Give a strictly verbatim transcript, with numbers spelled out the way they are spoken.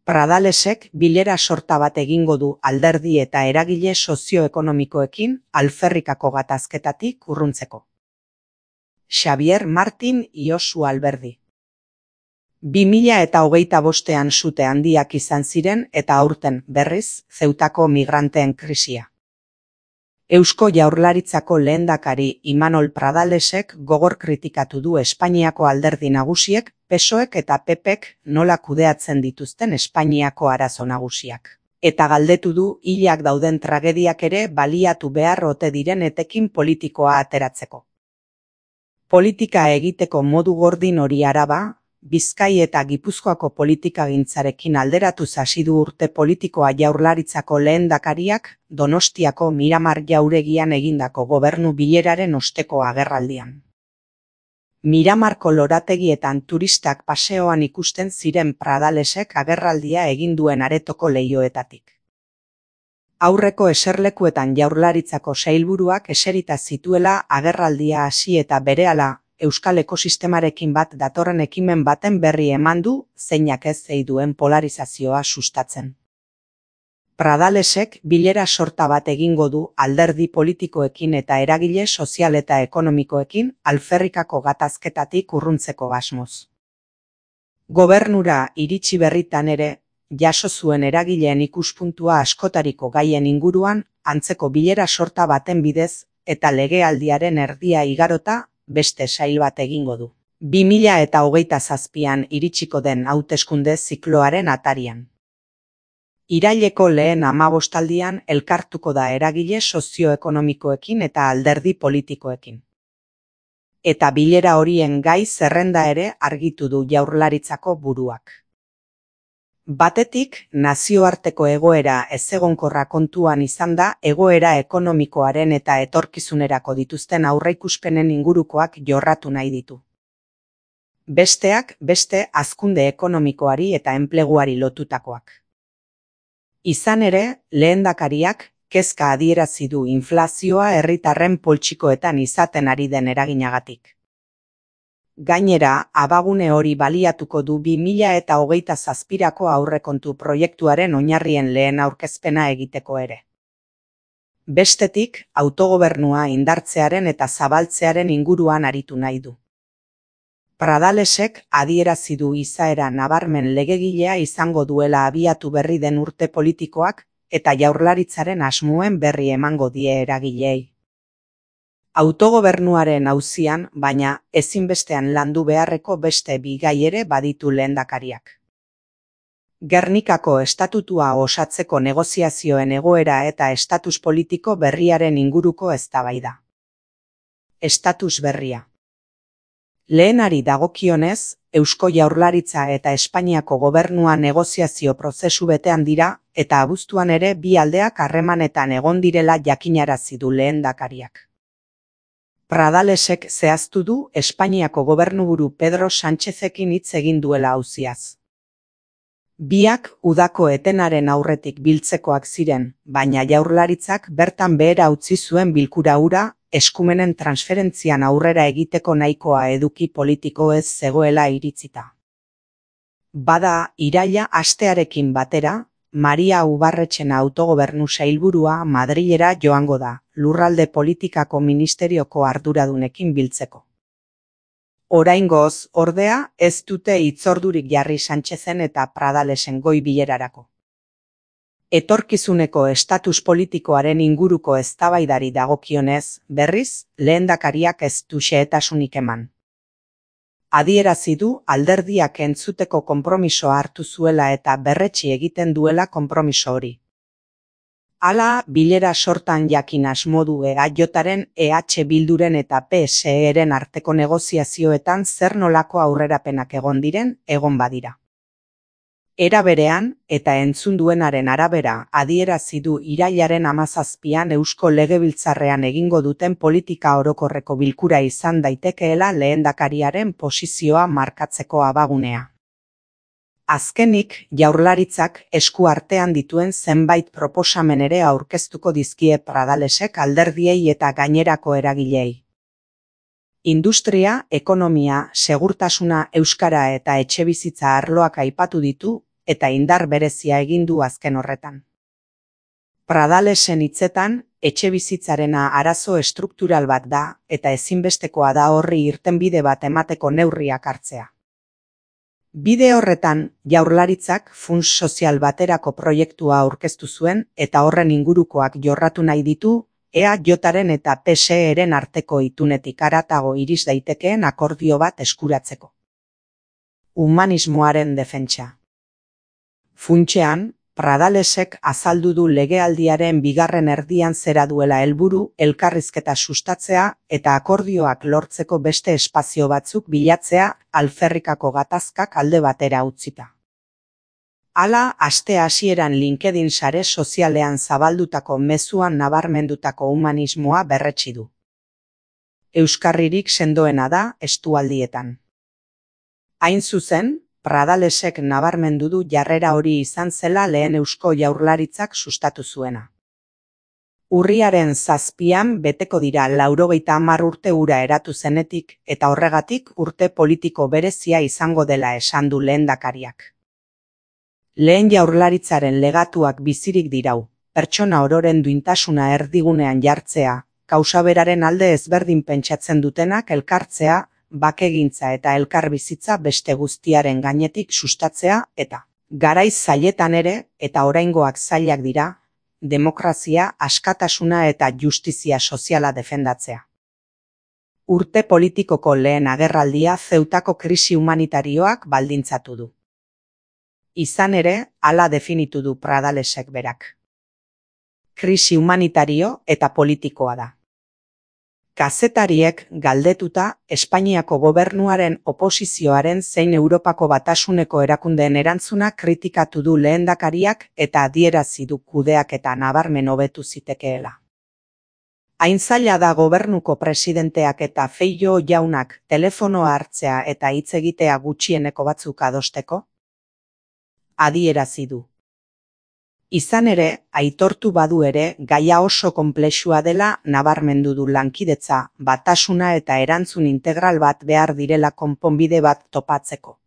Pradalesek bilera sorta bat egingo du alderdi eta eragile sozioekonomikoekin alferrikako gatazketatik urruntzeko. Xavier Martin Iosu Alberdi. bi mila eta hogeita bostean sute handiak izan ziren eta aurten, berriz, Zeutako migranteen krisia. Eusko Jaurlaritzako lehendakari Imanol Pradalesek gogor kritikatu du Espainiako alderdi nagusiek, P S O Ek eta P Pek nola kudeatzen dituzten Espainiako arazo nagusiak. Eta galdetu du hilak dauden tragediak ere baliatu behar ote diren etekin politikoa ateratzeko. Politika egiteko modu gordin hori araba, Bizkai eta Gipuzkoako politikagintzarekin alderatuz hasi du urte politikoa Jaurlaritzako lehendakariak Donostiako Miramar jauregian egindako gobernu bileraren osteko agerraldian. Miramarko lorategietan turistak paseoan ikusten ziren Pradalesek agerraldia egin duen aretoko leihoetatik. Aurreko eserlekuetan Jaurlaritzako sailburuak eserita zituela agerraldia hasi eta berehala Euskal ekosistemarekin bat datorren ekimen baten berri eman du, zeinak ez ei duen polarizazioa sustatzen. Pradalesek bilera sorta bat egingo du alderdi politikoekin eta eragile sozial eta ekonomikoekin alferrikako gatazketatik urruntzeko asmoz. Gobernura iritsi berritan ere, jaso zuen eragileen ikuspuntua askotariko gaien inguruan, antzeko bilera sorta baten bidez eta legealdiaren erdia igarota, beste sail bat egingo du. bi mila eta hogeita zazpian iritsiko den hauteskunde zikloaren atarian. Iraileko lehen hamabostaldian elkartuko da eragile sozioekonomikoekin eta alderdi politikoekin. Eta bilera horien gai zerrenda ere argitu du Jaurlaritzako buruak. Batetik, nazioarteko egoera ezegonkorra kontuan izan da egoera ekonomikoaren eta etorkizunerako dituzten aurreikuspenen ingurukoak jorratu nahi ditu. Besteak, beste hazkunde ekonomikoari eta enpleguari lotutakoak. Izan ere, lehendakariak kezka adierazi du inflazioa herritarren poltsikoetan izaten ari den eraginagatik. Gainera, abagune hori baliatuko du bi mila eta hogeita zazpirako aurrekontu proiektuaren oinarrien lehen aurkezpena egiteko ere. Bestetik, autogobernua indartzearen eta zabaltzearen inguruan aritu nahi du. Pradalesek adierazi du izaera nabarmen legegilea izango duela abiatu berri den urte politikoak eta Jaurlaritzaren asmoen berri emango die eragileei. Autogobernuaren auzian, baina ezinbestean landu beharreko beste bi gai ere baditu lehendakariak. Gernikako estatutua osatzeko negoziazioen egoera eta estatus politiko berriaren inguruko eztabaida. Estatus berria. Lehenari dagokionez, Eusko Jaurlaritza eta Espainiako gobernua negoziazio prozesu betean dira eta abuztuan ere bi aldeak harremanetan egon direla jakinarazi du lehendakariak. Pradalesek zehaztu du Espainiako gobernuburu Pedro Sánchezekin hitz egin duela auziaz. Biak udako etenaren aurretik biltzekoak ziren, baina Jaurlaritzak bertan behera utzi zuen bilkura hura, eskumenen transferentzian aurrera egiteko nahikoa eduki politiko ez zegoela iritzita. Bada, iraila astearekin batera, Maria Ubarretxena autogobernu sailburua Madrilera joango da, lurralde politikako ministerioko arduradunekin biltzeko. Oraingoz, ordea, ez dute hitzordurik jarri Sánchezen eta Pradalesen goi bilerarako. Etorkizuneko estatus politikoaren inguruko eztabaidari dagokionez, berriz, lehendakariak ez du xehetasunik eman. Adierazi du alderdiak entzuteko konpromisoa hartu zuela eta berretsi egiten duela konpromiso hori. Hala, bilera sortan jakin asmo du E A Jaren, E H Bilduren eta P S E-ren arteko negoziazioetan zer nolako aurrerapenak egon diren, egon badira. Era berean, eta entzun duenaren arabera, adierazi du irailaren hamazazpian Eusko Legebiltzarrean egingo duten politika orokorreko bilkura izan daitekeela lehendakariaren posizioa markatzeko abagunea. Azkenik, Jaurlaritzak esku artean dituen zenbait proposamen ere aurkeztuko dizkie Pradalesek alderdiei eta gainerako eragilei. Industria, ekonomia, segurtasuna, euskara eta etxebizitza arloak aipatu ditu, eta indar berezia egin du azken horretan. Pradalesen hitzetan, etxebizitzarena arazo estruktural bat da eta ezinbestekoa da horri irtenbide bat emateko neurriak hartzea. Bide horretan, Jaurlaritzak funts sozial baterako proiektua aurkeztu zuen eta horren ingurukoak jorratu nahi ditu E A Jaren eta P S E-ren arteko itunetik haratago iris daitekeen akordio bat eskuratzeko. Humanismoaren defentsa. Funtsean, Pradalesek azaldu du legealdiaren bigarren erdian zera duela helburu elkarrizketa sustatzea eta akordioak lortzeko beste espazio batzuk bilatzea alferrikako gatazkak alde batera utzita. Hala, aste hasieran LinkedIn sare sozialean zabaldutako mezuan nabarmendutako humanismoa berretsi du. Euskarririk sendoena da estualdietan. Hain zuzen, Pradalesek nabarmendu du jarrera hori izan zela lehen Eusko Jaurlaritzak sustatu zuena. Urriaren zazpian beteko dira laurogeita hamar urte hura eratu zenetik eta horregatik urte politiko berezia izango dela esan du lehendakariak. Lehen Jaurlaritzaren legatuak bizirik dirau, pertsona ororen duintasuna erdigunean jartzea, kausaberaren alde ezberdin pentsatzen dutenak elkartzea, bakegintza eta elkarbizitza beste guztiaren gainetik sustatzea eta, garaiz zailetan ere eta oraingoak zailak dira, demokrazia, askatasuna eta justizia soziala defendatzea. Urte politikoko lehen agerraldia Zeutako krisi humanitarioak baldintzatu du. Izan ere, hala definitu du Pradalesek berak. Krisi humanitario eta politikoa da. Kazetariek galdetuta Espainiako gobernuaren oposizioaren zein Europako Batasuneko erakundeen erantzuna kritikatu du lehendakariak eta adierazi du kudeaketa nabarmen hobetu zitekeela. Hain zaila da gobernuko presidenteak eta Feijóo jaunak telefonoa hartzea eta hitz egitea gutxieneko batzuk adosteko? Adierazi du. Izan ere, aitortu badu ere, gaia oso konplexua dela nabarmendu du lankidetza, batasuna eta erantzun integral bat behar direla konponbide bat topatzeko.